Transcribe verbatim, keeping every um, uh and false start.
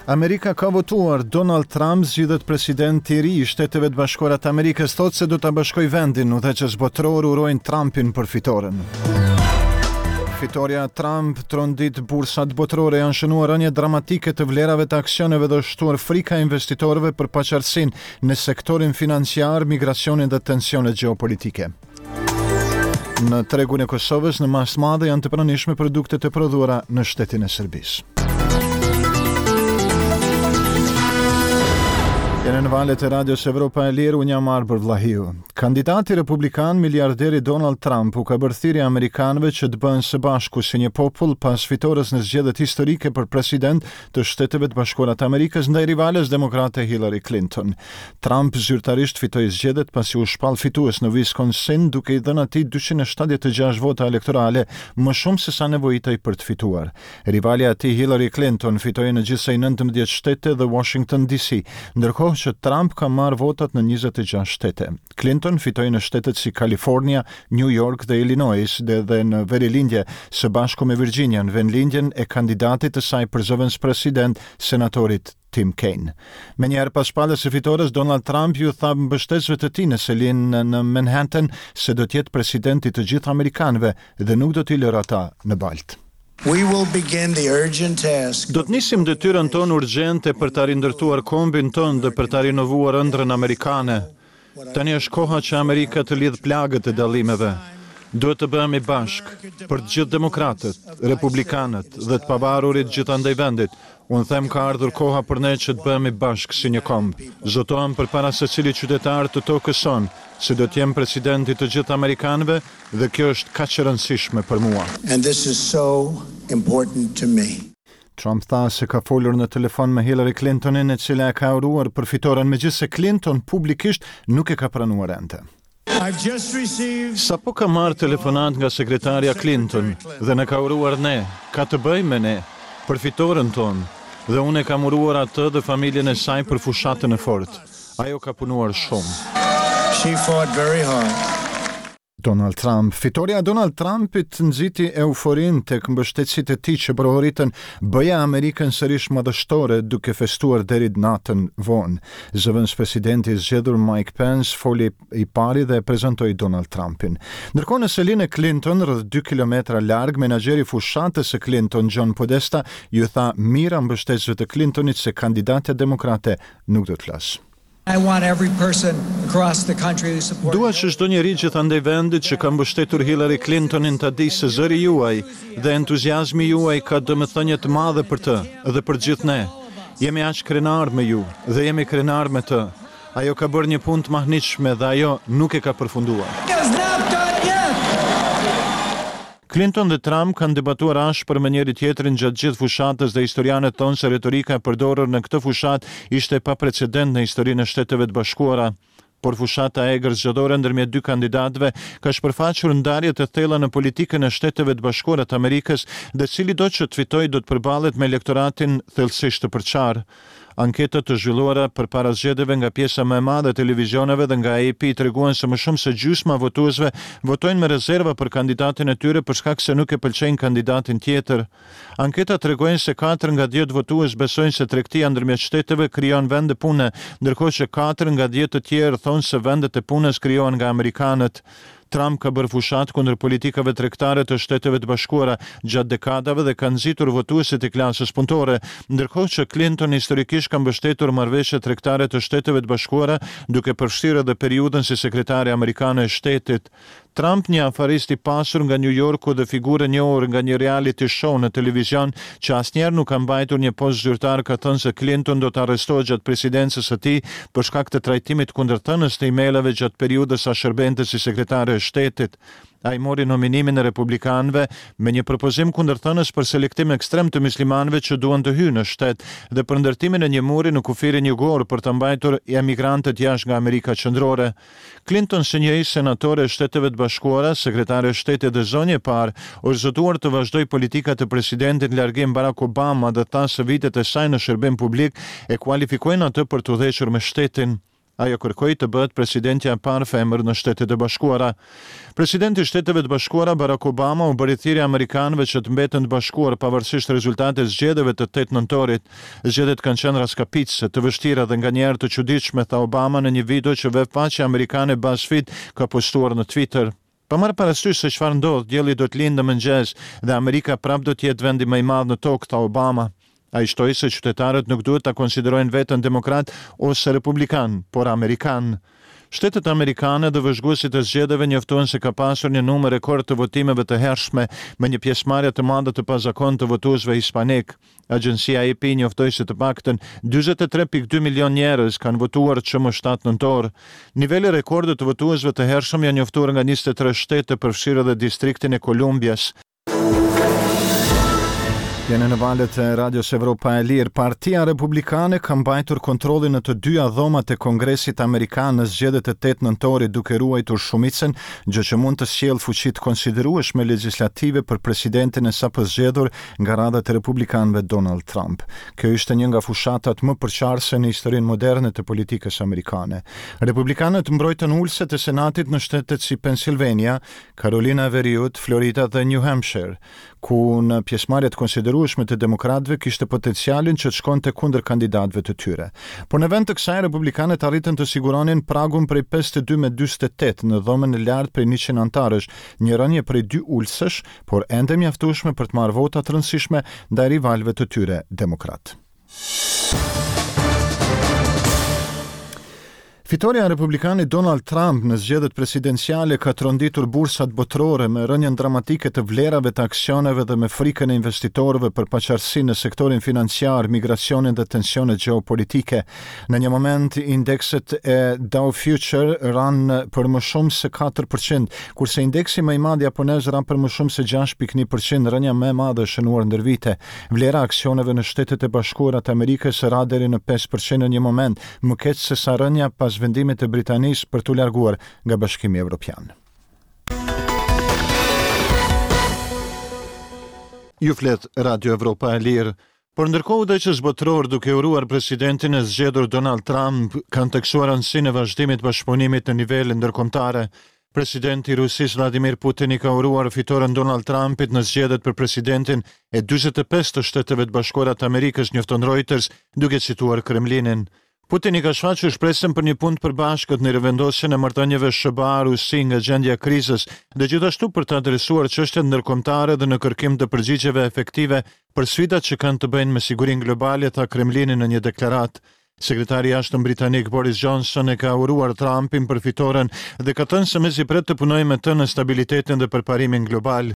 Amerika ka votuar. Donald Trump zgjidhet president i ri i Shteteve të Bashkuara të Amerikës, thotë se do ta bashkojë vendin. Udhëheqës botëror urojnë Trumpin për fitoren. Fitorja e Trump trondit bursat botërore, janë shënuar rënie dramatike të vlerave të aksioneve dhe shtuar frika e investitorëve për paqartësinë në sektorin financiar, migracionin dhe tensionet gjeopolitike. Në tregun e Kosovës në masë madhe janë të pranishme produkte të prodhuara në shtetin e Serbisë. Jeni në valët e Radios Evropa e Lirë, unë jam Arbër Vllahiu. Kandidati republikan, miliarderi Donald Trump, u ka bërë thirrje amerikanëve që të bëhen së bashku si një popull pas fitores në zgjedhjet historike për president të Shteteve të Bashkuara të Amerikës ndaj rivales demokrate Hillary Clinton. Trump zyrtarisht fitoi zgjedhjet pasi u shpall fitues në Wisconsin, duke i dhënë atij dyqind e shtatëdhjetë e gjashtë vota elektorale, më shumë se sa nevojitej për të fituar. Rivalja e tij Hillary Clinton fitoi në gjithsej nëntëmbëdhjetë shtete dhe Washington D C, ndërkohë që Trump ka marrë votat në njëzet e gjashtë shtete. Clinton fitoi në shtetet si California, New York dhe Illinois dhe, dhe në verilindje, së bashku me Virginian, vendlindjen e kandidatit të saj për zëvendëspresident, senatorit Tim Kaine. Menjëherë pas shpalljes së fitores, Donald Trump ju tha mbështetësve të tij në selinë në Manhattan se do të jetë presidenti të gjithë amerikanëve dhe nuk do t'i lërë ata në baltë. We will begin the urgent task Do të nisim detyrën tonë urgjente për ta rindërtuar kombin tonë dhe për ta rinovuar ëndrrën amerikane. Tani është koha që Amerika të lidh plagët e dallimeve. Duhet të bëhemi bashkë për të gjithë demokratët, republikanët dhe të pavarurit gjithandej vendit. Unë them, ka ardhur koha për ne që të bëhemi bashkë si një komb. Zotohem përpara secilit qytetar të tokës sonë se do të jem presidenti të gjithë amerikanëve dhe kjo është kaq e rëndësishme për mua. And this is so important to me. Trump tha se ka folur në telefon me Hillary Clintonin, e cila e ka uruar për fitoren, megjithëse Clinton publikisht nuk e ka pranuar ende. I've just received Sapo kam marrë telefonat nga sekretarja Clinton dhe na ka uruar ne, ka të bëjë me ne, për fitoren tonë, dhe unë e kam uruar atë dhe familjen e saj për fushatën e fortë. Ajo ka punuar shumë. She fought very hard. Donald Trump. Fitoria e Donald Trumpit nxiti euforinë tek mbështetësit e tij që brohoritën "Bëja Amerikën sërish madhështore", duke festuar deri natën vonë. Zëvendëspresidenti i zgjedhur Mike Pence foli i pari dhe prezantoi Donald Trumpin. Ndërkohë, në selinë e Clinton, rreth dy kilometra larg, menaxheri i fushatës së Clinton, John Podesta, ju tha mijëra mbështetësve të Clintonit se kandidatja demokrate nuk do të flasë. I want every person across the country who supported Dua që çdo njeri gjithandej vendit që ka mbështetur Hillary Clintonin ta di se zëri juaj dhe entuziazmi juaj ka domethënie të madhe për të dhe për gjithë ne. Jemi aq krenar me ju dhe jemi krenar me të. Ajo ka bërë një punë të mahnitshme dhe ajo nuk e ka përfunduar. Is not done yet. Clinton dhe Trump kanë debatuar ashpër me njëri tjetrin gjatë gjithë fushatës dhe historianët thonë se retorika e përdorur në këtë fushatë ishte pa precedent në historinë e Shteteve të Bashkuara. Por fushata e egër zgjedhore ndërmjet dy kandidatëve ka shpërfaqur ndarje të thella në politikën e Shteteve të Bashkuara të Amerikës dhe cilido që të fitojë do të përballet me elektoratin thellësisht të përçarë. Anketat të zhvilluara përpara zgjedhjeve nga pjesa më e madhe e televizioneve dhe nga A P treguan se më shumë se gjysma e votuesve votojnë me rezerva për kandidatin e tyre për shkak se nuk e pëlqejnë kandidatin tjetër. Anketat tregojnë se katër nga dhjetë votues besojnë se tregtia ndërmjet shteteve krijon vende pune, ndërkohë që katër nga dhjetë të tjerë thonë se vendet e punës krijohen nga amerikanët. Trump ka bërë fushatë kundër politikave tregtare të Shteteve të Bashkuara gjatë dekadave dhe ka nxitur votuesit e klasës punëtore, ndërkohë që Clinton historikisht ka mbështetur marrëveshjet tregtare të Shteteve të Bashkuara, duke përfshirë edhe periudhën si sekretare amerikane e shtetit. Trump, një afarist i pasur nga New Yorku dhe figurë e njohur nga një reality show në televizion, që asnjëherë nuk ka mbajtur një post zyrtar, ka thënë se Clinton do të arrestohet gjatë presidencës së tij për shkak të trajtimit kundërthënës të emailave gjatë periudhës sa shërbente si sekretare e shtetit. Ai mori nominimin e republikanëve me një propozim kundërthënës për selektim ekstrem të muslimanëve që duan të hyjnë në shtet dhe për ndërtimin e një muri në kufirin jugor për të mbajtur emigrantët jashtë nga Amerika Qendrore. Clinton, si një ish senatore e Shteteve të Bashkuara, sekretare e shtetit dhe zonjë e parë, është zotuar të vazhdojë politikat e presidentit në largim Barack Obama dhe tha se vitet e saj në shërbim publik e kualifikojnë atë për të udhëhequr me shtetin. Ajo kërkoi të bëhet presidentja e parë femër në Shtetet e Bashkuara. Presidenti i Shteteve të Bashkuara Barack Obama u bëri thirrje amerikanëve që të mbeten të bashkuar pavarësisht rezultatit zgjedhjeve të tetë nëntorit. Zgjedhjet kanë qenë rraskapitëse, të vështira dhe nganjëherë të çuditshme, tha Obama në një video që web faqja amerikane BuzzFeed ka postuar në Twitter. Pa marrë parasysh se çfarë ndodh, dielli do të lindë në mëngjes dhe Amerika prapë do të jetë vendi më i madh në tokë, tha Obama. Ai shtoi se qytetarët nuk duhet ta konsiderojnë veten demokrat ose republikan, por amerikan. Shtetet amerikane dhe vëzhguesit e zgjedhjeve njoftuan se ka pasur një numër rekord të votimeve të hershme me një pjesëmarrje të madhe të pazakontë të votuesve hispanik. Agjencia A P njoftoi se të paktën dyzet e tre pikë dy milion njerëz kanë votuar që më shtatë nëntor. Nivele rekorde të votuesve të hershëm janë njoftuar nga njëzet e tre shtete, përfshirë edhe distriktin e Kolumbias. Jeni në valët e Radios Evropa e Lirë. Partia Republikane ka mbajtur kontrollin në të dyja dhomat e Kongresit Amerikan në zgjedhjet e tetë nëntorit, duke ruajtur shumicën, gjë që mund të sjellë fuqi të konsiderueshme legjislative për presidentin e sapo zgjedhur nga radhët e republikanëve, Donald Trump. Kjo ishte një nga fushatat më përçarëse në historinë moderne të politikës amerikane. Republikanët mbrojtën ulëset e Senatit në shtetet si Pennsylvania, Carolina e Veriut, Florida dhe New Hampshire, ku në pjesëmarrje të konsiderueshme të demokratëve kishte potencialin që të shkonte kundër kandidatëve të tyre. Por në vend të kësaj, republikanët arritën të siguronin pragun prej pesëdhjetë e dy me dyzet e tetë në dhomën e lartë prej njëqind anëtarësh, një rënje prej dy ulësesh, por ende mjaftueshme për të marrë vota të rëndësishme ndaj rivalëve të tyre demokrat. Fitoria e republikanit Donald Trump në zgjedhjet presidenciale ka tronditur bursat botërore me rënien dramatike të vlerave të aksioneve dhe me frikën e investitorëve për paqartësinë në sektorin financiar, migracionin dhe tensionet gjeopolitike. Në një moment, indekset e Dow Future ranë për më shumë se katër për qind, kurse indeksi më i madh japonez ra për më shumë se gjashtë pikë një për qind, rënia më e madhe e shënuar ndër vite. Vlera e aksioneve në Shtetet e Bashkuara të Amerikës ra deri në pesë për qind në një moment, më keq se sa rënia pas vendimit të Britanisë për t'u larguar nga Bashkimi Evropian. Ju flet Radio Evropa e Lirë. Por ndërkohë, udhëheqës botëror, duke uruar presidentin e zgjedhur Donald Trump, kanë theksuar rëndësinë e vazhdimit bashkëpunimit në nivel ndërkombëtare. Presidenti i Rusisë Vladimir Putin i ka uruar fitoren Donald Trumpit në zgjedhjet për presidentin e dyzet e pesë të Shteteve të Bashkuara të Amerikës, njofton Reuters, duke cituar Kremlinin. Putin i ka shfaqur shpresën për një punë të përbashkët në rivendosjen e marrëdhënieve S H B A-Rusi nga gjendja e krizës dhe gjithashtu për të adresuar çështjet ndërkombëtare dhe në kërkim të përgjigjeve efektive për sfidat që kanë të bëjnë me sigurinë globale, tha Kremlini në një deklaratë. Sekretari i Jashtëm britanik Boris Johnson e ka uruar Trumpin për fitoren dhe ka thënë se mezi pret të punojë me të në stabilitetin dhe përparimin global.